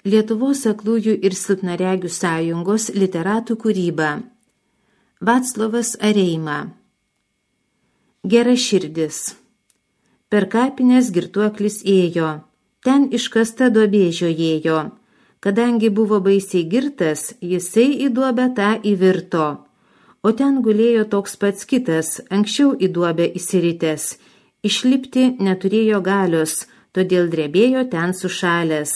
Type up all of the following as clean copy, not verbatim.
Lietuvos aklųjų ir silpnaregių sąjungos literatų kūryba. Vaclovas Areima. Gera širdis. Per kapines girtuoklis ėjo, ten iškasta duobė žiojėjo. Kadangi buvo baisiai girtas, jisai į duobę tą įvirto. O ten gulėjo toks pats kitas, anksčiau į duobę įsiritęs. Išlipti neturėjo galios, todėl drebėjo ten sušalęs.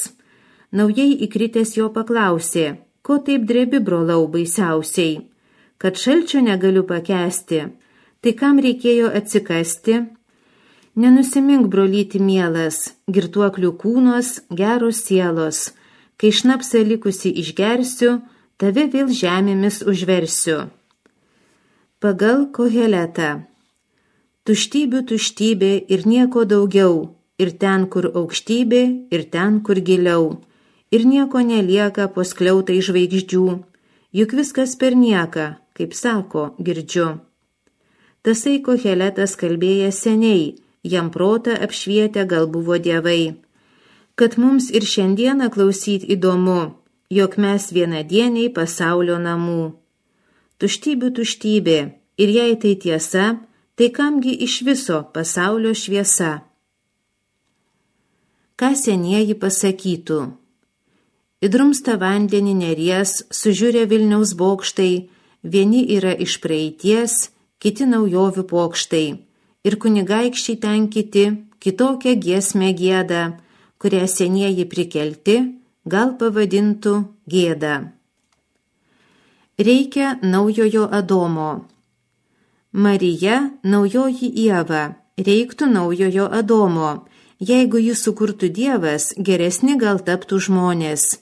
Naujai įkritęs jo paklausė, ko taip drebi, brolau, baisiausiai? Kad šalčio negaliu pakęsti, tai kam reikėjo atsikasti? Nenusimink, brolyti mielas, girtuoklių kūnos, geros sielos. Kai šnapsą likusi išgersiu, tave vėl žemėmis užversiu. Pagal Koheletą. Tuštybių tuštybė ir nieko daugiau, ir ten, kur aukštybė, ir ten, kur giliau. Ir nieko nelieka po skliautai žvaigždžių, juk viskas per nieką, kaip sako, girdžiu. Tasai Koheletas kalbėja seniai, jam protą apšvietę gal buvo dievai. Kad mums ir šiandieną klausyt įdomu, jog mes vienadieniai pasaulio namų. Tuštybių tuštybė, ir jei tai tiesa, tai kamgi iš viso pasaulio šviesa? Ką senieji pasakytų? Įdrumsta vandenį Neries, sužiūrė Vilniaus bokštai, vieni yra iš praeities, kiti naujovių pokštai, ir kunigaikščiai ten kiti, kitokią giesmę gieda, kurią senieji prikelti, gal pavadintų gėda. Reikia naujojo Adomo. Marija, naujoji Ieva, reiktų naujojo Adomo. Jeigu jį sukurtų Dievas, geresni gal taptų žmonės.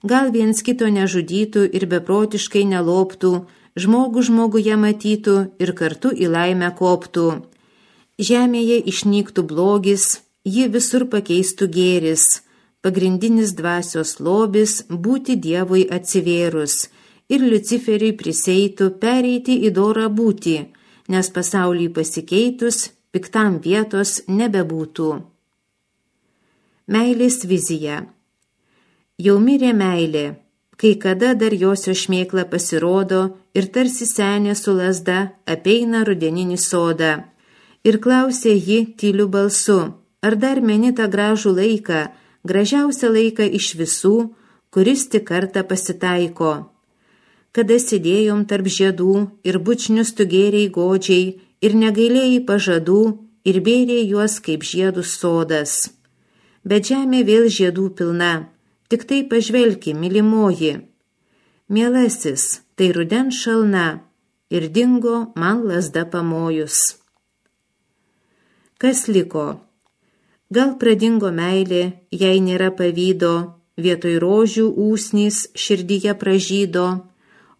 Gal viens kito nežudytų ir beprotiškai neloptų, žmogų žmoguje matytų ir kartu į laimę koptų. Žemėje išnyktų blogis, jį visur pakeistų gėris, pagrindinis dvasios lobis būti Dievui atsivėrus, ir Luciferiui priseitų pereiti į dorą būti, nes pasauliui pasikeitus, piktam vietos nebebūtų. Meilės vizija. Jau mirė meilė, kai kada dar josio šmėkla pasirodo ir tarsi senė su lazda apeina rudeninį sodą. Ir klausė ji tyliu balsu, ar dar meni tą gražų laiką, gražiausią laiką iš visų, kuris tik kartą pasitaiko. Kada sėdėjom tarp žiedų ir bučnius tu gėrei godžiai ir negailėjai pažadų ir bėrei juos kaip žiedus sodas. Bet žemė vėl žiedų pilna, tik tai pažvelki, mylimoji. Mielasis, tai rudens šalna, ir dingo man lazda pamojus. Kas liko? Gal pradingo meilė, jei nėra pavydo, vietoj rožių ūsnys širdyje pražydo,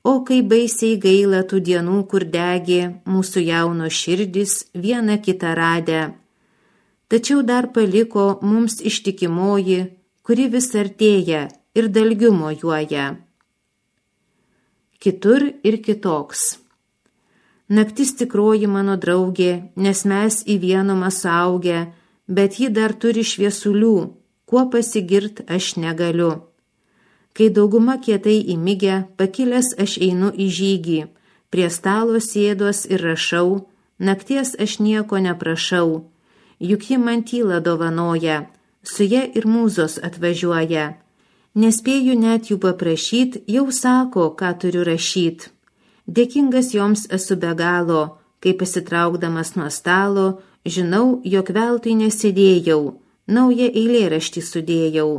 o kai baisiai gaila tų dienų, kur degė mūsų jauno širdis vieną kitą radę. Tačiau dar paliko mums ištikimoji, kuri vis artėja ir dalgiu mojuoja. Kitur ir kitoks. Naktis tikroji mano draugė, nes mes į vienumą suaugę, bet ji dar turi šviesulių, kuo pasigirt aš negaliu. Kai dauguma kietai įmigę, pakilęs aš einu į žygį, prie stalo sėdos ir rašau, nakties aš nieko neprašau, juk ji man tylą dovanoja, su ja ir mūzos atvažiuoja. Nespėju net jų paprašyt, jau sako, ką turiu rašyt. Dėkingas joms esu be galo, kai pasitraukdamas nuo stalo, žinau, jog veltui nesėdėjau, naują eilėraštį sudėjau.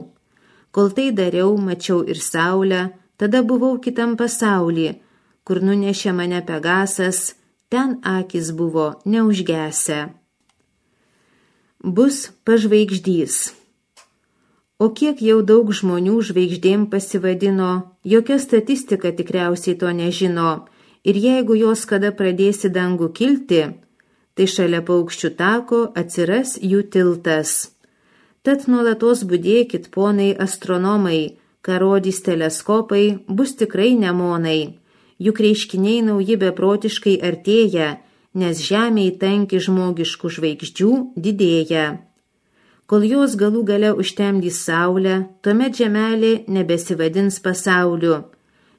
Kol tai dariau, mačiau ir saulę, tada buvau kitam pasauly, kur nunešė mane Pegasas, ten akis buvo neužgesę. Bus pažvaigždys. O kiek jau daug žmonių žvaigždėm pasivadino, jokia statistika tikriausiai to nežino, ir jeigu jos kada pradėsi dangų kilti, tai šalia paukščių tako atsiras jų tiltas. Tad nuolatos budėkit, ponai astronomai, ką rodys teleskopai, bus tikrai nemonai, juk reiškiniai nauji beprotiškai artėja, nes žemėj tanki žmogiškų žvaigždžių didėja. Kol jos galų gale užtemdys saulę, tuomet žemelė nebesivadins pasauliu.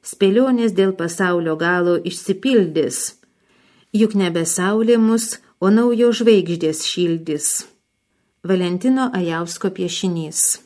Spėlionės dėl pasaulio galo išsipildys. Juk nebe saulė mus, o naujo žvaigždės šildys. Valentino Ajausko piešinys.